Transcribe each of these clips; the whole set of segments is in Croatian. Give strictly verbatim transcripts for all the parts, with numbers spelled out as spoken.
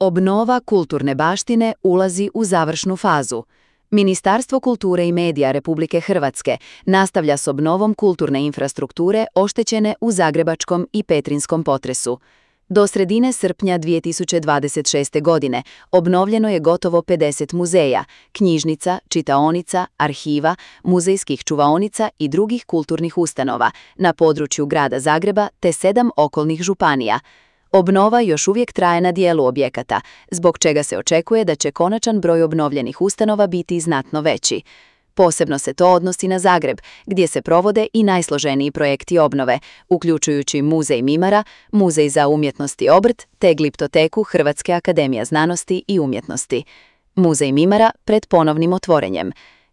Obnova kulturne baštine ulazi u završnu fazu. Ministarstvo kulture i medija Republike Hrvatske nastavlja s obnovom kulturne infrastrukture oštećene u zagrebačkom i petrinjskom potresu. Do sredine srpnja dvije tisuće dvadeset šeste. godine obnovljeno je gotovo pedeset muzeja, knjižnica, čitaonica, arhiva, muzejskih čuvaonica i drugih kulturnih ustanova na području grada Zagreba te sedam okolnih županija. Obnova još uvijek traje na dijelu objekata, zbog čega se očekuje da će konačan broj obnovljenih ustanova biti znatno veći. Posebno se to odnosi na Zagreb, gdje se provode i najsloženiji projekti obnove, uključujući Muzej Mimara, Muzej za umjetnost i obrt te Gliptoteku Hrvatske akademije znanosti i umjetnosti. Muzej Mimara pred ponovnim otvorenjem.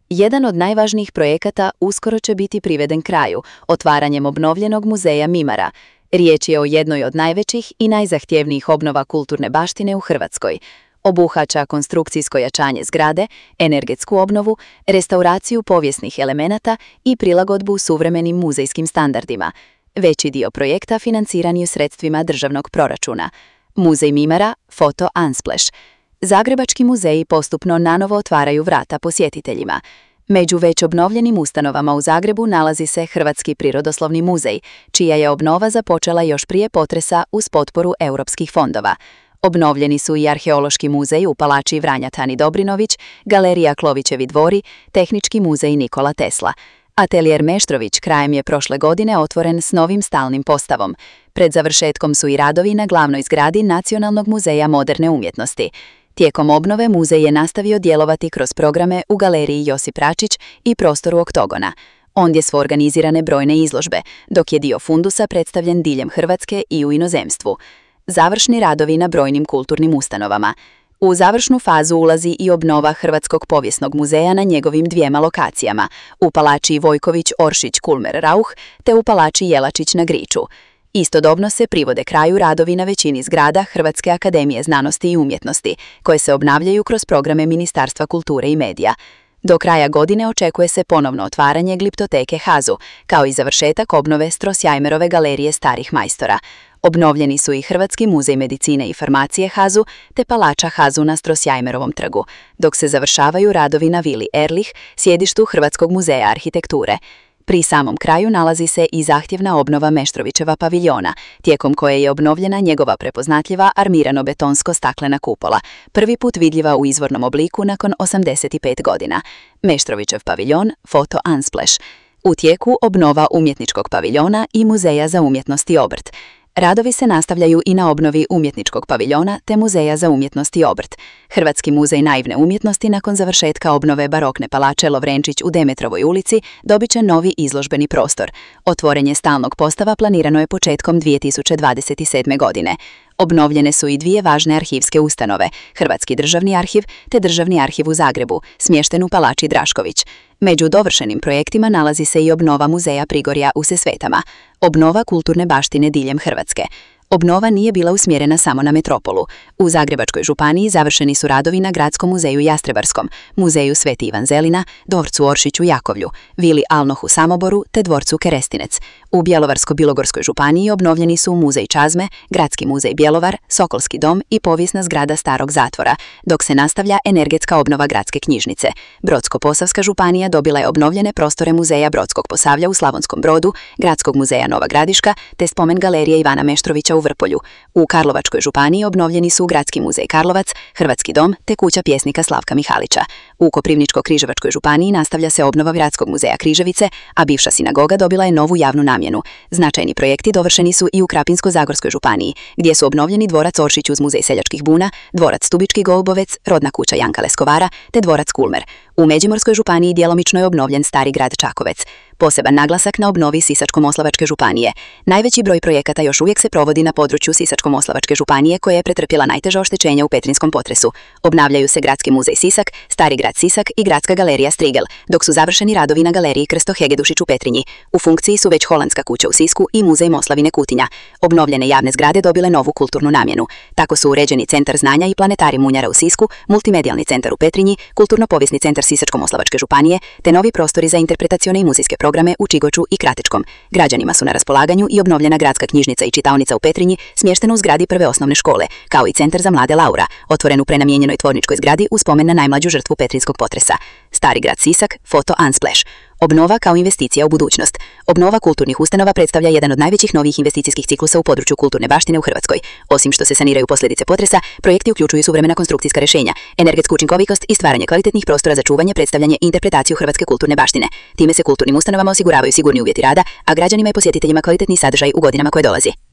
Jedan od najvažnijih projekata uskoro će biti priveden kraju, otvaranjem obnovljenog Muzeja Mimara. Riječ je o jednoj od najvećih i najzahtjevnijih obnova kulturne baštine u Hrvatskoj. Obuhvaća konstrukcijsko jačanje zgrade, energetsku obnovu, restauraciju povijesnih elemenata i prilagodbu suvremenim muzejskim standardima. Veći dio projekta financiran je sredstvima državnog proračuna. Muzej Mimara, foto Unsplash. Zagrebački muzeji postupno nanovo otvaraju vrata posjetiteljima. Među već obnovljenim ustanovama u Zagrebu nalazi se Hrvatski prirodoslovni muzej, čija je obnova započela još prije potresa uz potporu europskih fondova. Obnovljeni su i Arheološki muzej u palači Vranjatani Dobrinović, Galerija Klovićevi dvori, Tehnički muzej Nikola Tesla. Atelijer Meštrović krajem je prošle godine otvoren s novim stalnim postavom. Pred završetkom su i radovi na glavnoj zgradi Nacionalnog muzeja moderne umjetnosti. Tijekom obnove muzej je nastavio djelovati kroz programe u Galeriji Josip Račić i prostoru Oktogona. Ondje su organizirane brojne izložbe, dok je dio fundusa predstavljen diljem Hrvatske i u inozemstvu. Završni radovi na brojnim kulturnim ustanovama. U završnu fazu ulazi i obnova Hrvatskog povijesnog muzeja na njegovim dvijema lokacijama, u palači Vojković-Oršić-Kulmer-Rauch te u palači Jelačić na Griču. Istodobno se privode kraju radovi na većini zgrada Hrvatske akademije znanosti i umjetnosti, koje se obnavljaju kroz programe Ministarstva kulture i medija. Do kraja godine očekuje se ponovno otvaranje Gliptoteke Hazu, kao i završetak obnove Strossmajerove galerije starih majstora. Obnovljeni su i Hrvatski muzej medicine i farmacije Hazu te palača Hazu na Strossmajerovom trgu, dok se završavaju radovi na vili Erlich, sjedištu Hrvatskog muzeja arhitekture. Pri samom kraju nalazi se i zahtjevna obnova Meštrovićeva paviljona, tijekom koje je obnovljena njegova prepoznatljiva armirano-betonsko-staklena kupola, prvi put vidljiva u izvornom obliku nakon osamdeset pet godina. Meštrovićev paviljon, foto Unsplash. U tijeku obnova umjetničkog paviljona i Muzeja za umjetnost i obrt. Radovi se nastavljaju i na obnovi umjetničkog paviljona te Muzeja za umjetnost i obrt. Hrvatski muzej naivne umjetnosti nakon završetka obnove barokne palače Lovrenčić u Demetrovoj ulici dobit će novi izložbeni prostor. Otvorenje stalnog postava planirano je početkom dvije tisuće dvadeset sedme. godine. Obnovljene su i dvije važne arhivske ustanove, Hrvatski državni arhiv te Državni arhiv u Zagrebu, smješten u palači Drašković. Među dovršenim projektima nalazi se i obnova Muzeja Prigorja u Sesvetama, obnova kulturne baštine diljem Hrvatske. Obnova nije bila usmjerena samo na metropolu. U Zagrebačkoj županiji završeni su radovi na Gradskom muzeju Jastrebarskom, Muzeju Sveti Ivan Zelina, Dvorcu Oršić u Jakovlju, Vili Alnoh u Samoboru te Dvorcu Kerestinec. U Bjelovarsko-bilogorskoj županiji obnovljeni su Muzej Čazme, Gradski muzej Bjelovar, Sokolski dom i povijesna zgrada Starog zatvora, dok se nastavlja energetska obnova Gradske knjižnice. Brodsko-posavska županija dobila je obnovljene prostore Muzeja Brodskog Posavlja u Slavonskom Brodu, Gradskog muzeja Nova Gradiška te spomen galerije Ivana Meštrovića u Vrpolju. U Karlovačkoj županiji obnovljeni su Gradski muzej Karlovac, Hrvatski dom te kuća pjesnika Slavka Mihalića. U Koprivničko-križevačkoj županiji nastavlja se obnova Gradskog muzeja Križevice, a bivša sinagoga dobila je novu javnu namjenu. Značajni projekti dovršeni su i u Krapinsko-zagorskoj županiji, gdje su obnovljeni dvorac Oršić uz muzej seljačkih buna, dvorac Stubički golubovec, rodna kuća Janka Leskovara te dvorac Kulmer. U Međimurskoj županiji djelomično je obnovljen Stari grad Čakovec. Poseban naglasak na obnovi Sisačko-moslavačke županije. Najveći broj projekata još uvijek se provodi na području Sisačko-moslavačke županije koja je pretrpjela najteža oštećenja u petrinjskom potresu. Obnavljaju se Gradski muzej Sisak, Stari grad Sisak i Gradska galerija Strigel, dok su završeni radovi na galeriji Krsto Hegedušić u Petrinji. U funkciji su već Holandska kuća u Sisku i Muzej Moslavine Kutinja. Obnovljene javne zgrade dobile novu kulturnu namjenu. Tako su uređeni Centar znanja i Planetarij Munjara u Sisku, Multimedijalni centar u Petrinji, Kulturno-povijesni centar Sisačko-moslavačke županije, te novi prostori za interpretacione i muzejske programe programe u Čigoču i Kratečkom. Građanima su na raspolaganju i obnovljena gradska knjižnica i čitaonica u Petrinji, smještena u zgradi prve osnovne škole, kao i centar za mlade Laura, otvoren u prenamijenjenoj tvorničkoj zgradi u spomen na najmlađu žrtvu petrinjskog potresa. Stari grad Sisak, foto Unsplash. Obnova kao investicija u budućnost. Obnova kulturnih ustanova predstavlja jedan od najvećih novih investicijskih ciklusa u području kulturne baštine u Hrvatskoj. Osim što se saniraju posljedice potresa, projekti uključuju suvremena konstrukcijska rješenja, energetsku učinkovitost i stvaranje kvalitetnih prostora za čuvanje, predstavljanje i interpretaciju hrvatske kulturne baštine. Time se kulturnim ustanovama osiguravaju sigurni uvjeti rada, a građanima i posjetiteljima kvalitetni sadržaj u godinama koje dolazi.